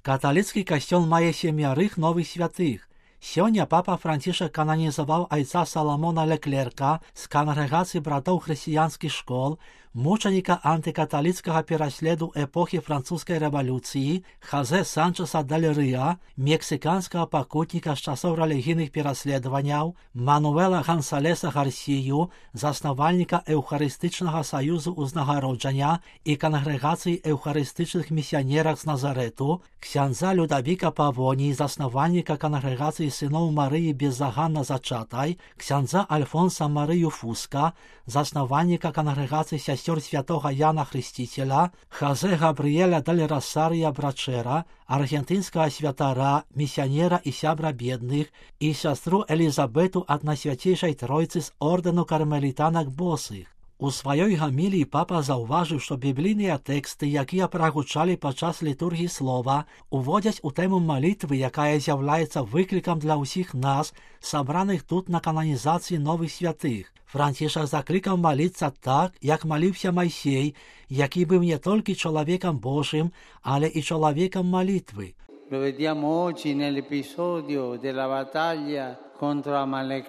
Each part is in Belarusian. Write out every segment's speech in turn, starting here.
Каталіцкі касцёл мае 7 новых святых. Сёння папа Францішак кананізаваў айца Саламона Леклерка з кангрэгацыі братоў хрысціянскіх школ, мучаніка антыкаталіцкага пераследу эпохі французскай рэвалюцыі, Хазе Санчеса дель Рыа, мексіканскага пакутніка з часоў рэлігійных пераследаванняў, Мануэла Гансалеса Гарсію, заснавальніка Эўхарыстычнага саюзу ўзнагароджання і кангрэгацыі эўхарыстычных місіянерак з Назарэту, ксяндза Людавіка Павоні, заснавальніка кангрэгацыі сыноў Марыі беззаганна зачатай, ксяндза Альфонса Марыю Фуска, заснавальніка кангрэгацыі сясцёр святога Яна Хрысціцеля, Хазе Габрыэля дель Росария Брачера, аргентынскага святара, місіянера і сябра бедных, і сястру Элізабету ад Найсвяцейшай Тройцы з ордэну кармелітанак босых. У сваёй гаміліі папа заўважыў, што біблійныя тэксты, якія прагучалі падчас літургіі слова, уводзяць у тэму малітвы, якая з'яўляецца выклікам для ўсіх нас, сабраных тут на кананізацыі новых святых. Францішак заклікаў маліцца так, як маліўся Майсей, які быў не толькі чалавекам Божым, але і чалавекам малітвы. Lo vediamo oggi nell'episodio della battaglia contro Amalek.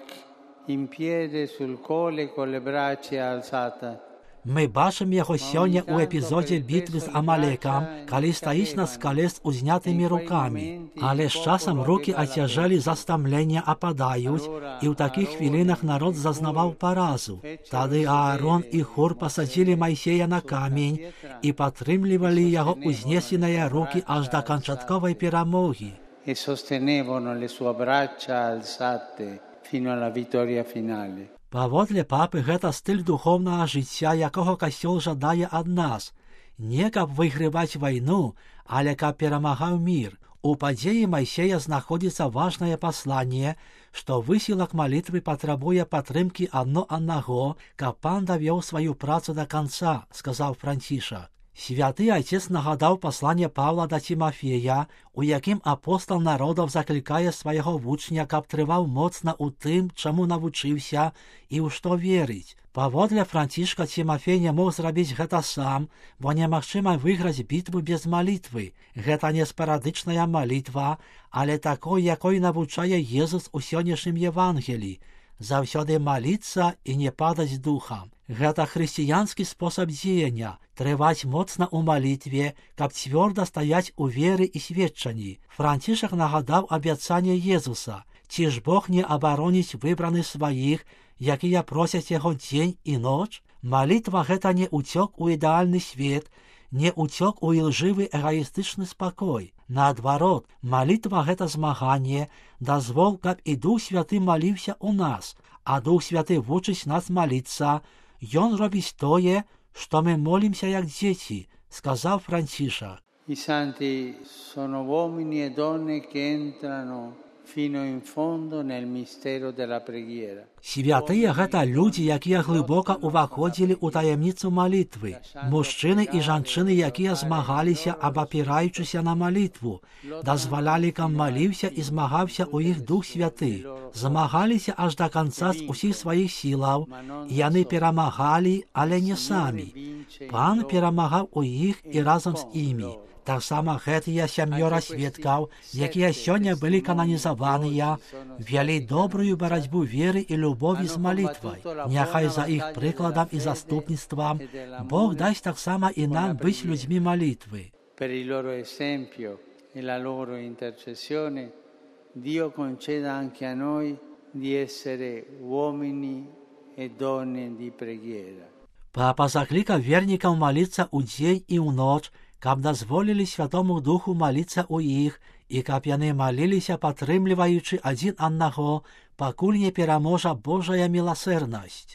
In piedi sul colle con le braccia alzate. Мы бачым яго сёння ў эпізодзе бітвы з Амалекам, калі стаіць на скале з узнятымі рукамі. Але з часам рукі ацяжэлі за стамлення ападаюць, і ў такіх хвілінах народ зазнаваў паразу. Тады Аарон і Хур пасадзілі Майсея на камень і падтрымлівалі яго узнесеныя рукі аж да канчатковай перамогі. E sostenevano le sue braccia alzate fino alla vittoria finale. Паводле папы, гэта стыль духоўнага жыцця, якога касцёл жадае ад нас. Не каб выйграваць вайну, але каб перамагаў мір. У падзеі Майсея знаходзіцца важнае пасланне, што высілак малітвы патрабуе падтрымкі адно аднаго, каб пан давёў сваю працу да канца, сказаў Францішак. Святы Айцец нагадаў пасланне Павла да Тимафея, у якім апостал народаў заклікае свайго вучня, каб трываў моцна ў тым, чаму навучыўся і ў што верыць. Паводле Францішка Тимафей не мог зрабіць гэта сам, бо немагчыма выйграць бітву без малітвы. Гэта не спарадычная малітва, але такой, якой навучае Езус у сённяшнім Евангелі. Заўсёды маліцца і не падаць духам. Гэта хрысціянскі спосаб дзеяння, трываць моцна ў малітве, каб цвёрда стаяць у веры і сведчанні. Францішак нагадаў абяцанне Езуса: ці ж Бог не абароніць выбраных сваіх, якія просяць яго дзень і ноч? Малітва гэта не ўцёк у ідэальны свет, не ўцёк у ілжывы эгаістычны спакой. Наадварот, малітва гэта змаганне, дазвол, каб і Дух Святы маліўся ў нас, а Дух Святы вучыць нас маліцца. Ён робіць тое, што мы молімся як дзеці, сказаў Францішак. I santi sono uomini e donne che entrano fino in fondo nel mistero della preghiera. Святыя гэта людзі, якія глыбока ўваходзілі ў таямніцу малітвы. Мужчыны і жанчыны, якія змагаліся, абапіраючыся на малітву, дазвалялі, каб маліўся і змагаўся ў іх Дух Святы. Змагаліся аж да канца з усіх сваіх сілаў, і яны перамагалі, але не самі. Пан перамагаў у іх і разам з імі. Таксама гэтыя 7 сведкаў, якія сёння былі кананізаваныя, вялі добрую барацьбу веры і любові з малітвай. Няхай за іх прыкладам і заступніцтвам Бог дасць таксама і нам быць людзьмі малітвы. Per il loro esempio e la loro intercessione, Dio conceda anche a noi di essere uomini e donne di preghiera. Папа заклікаў вернікаў маліцца ў дзень і ў ноч, каб дазволілі Святому Духу маліцца ў іх і каб яны маліліся, падтрымліваючы адзін аднаго, пакуль не пераможа Божая міласэрнасць.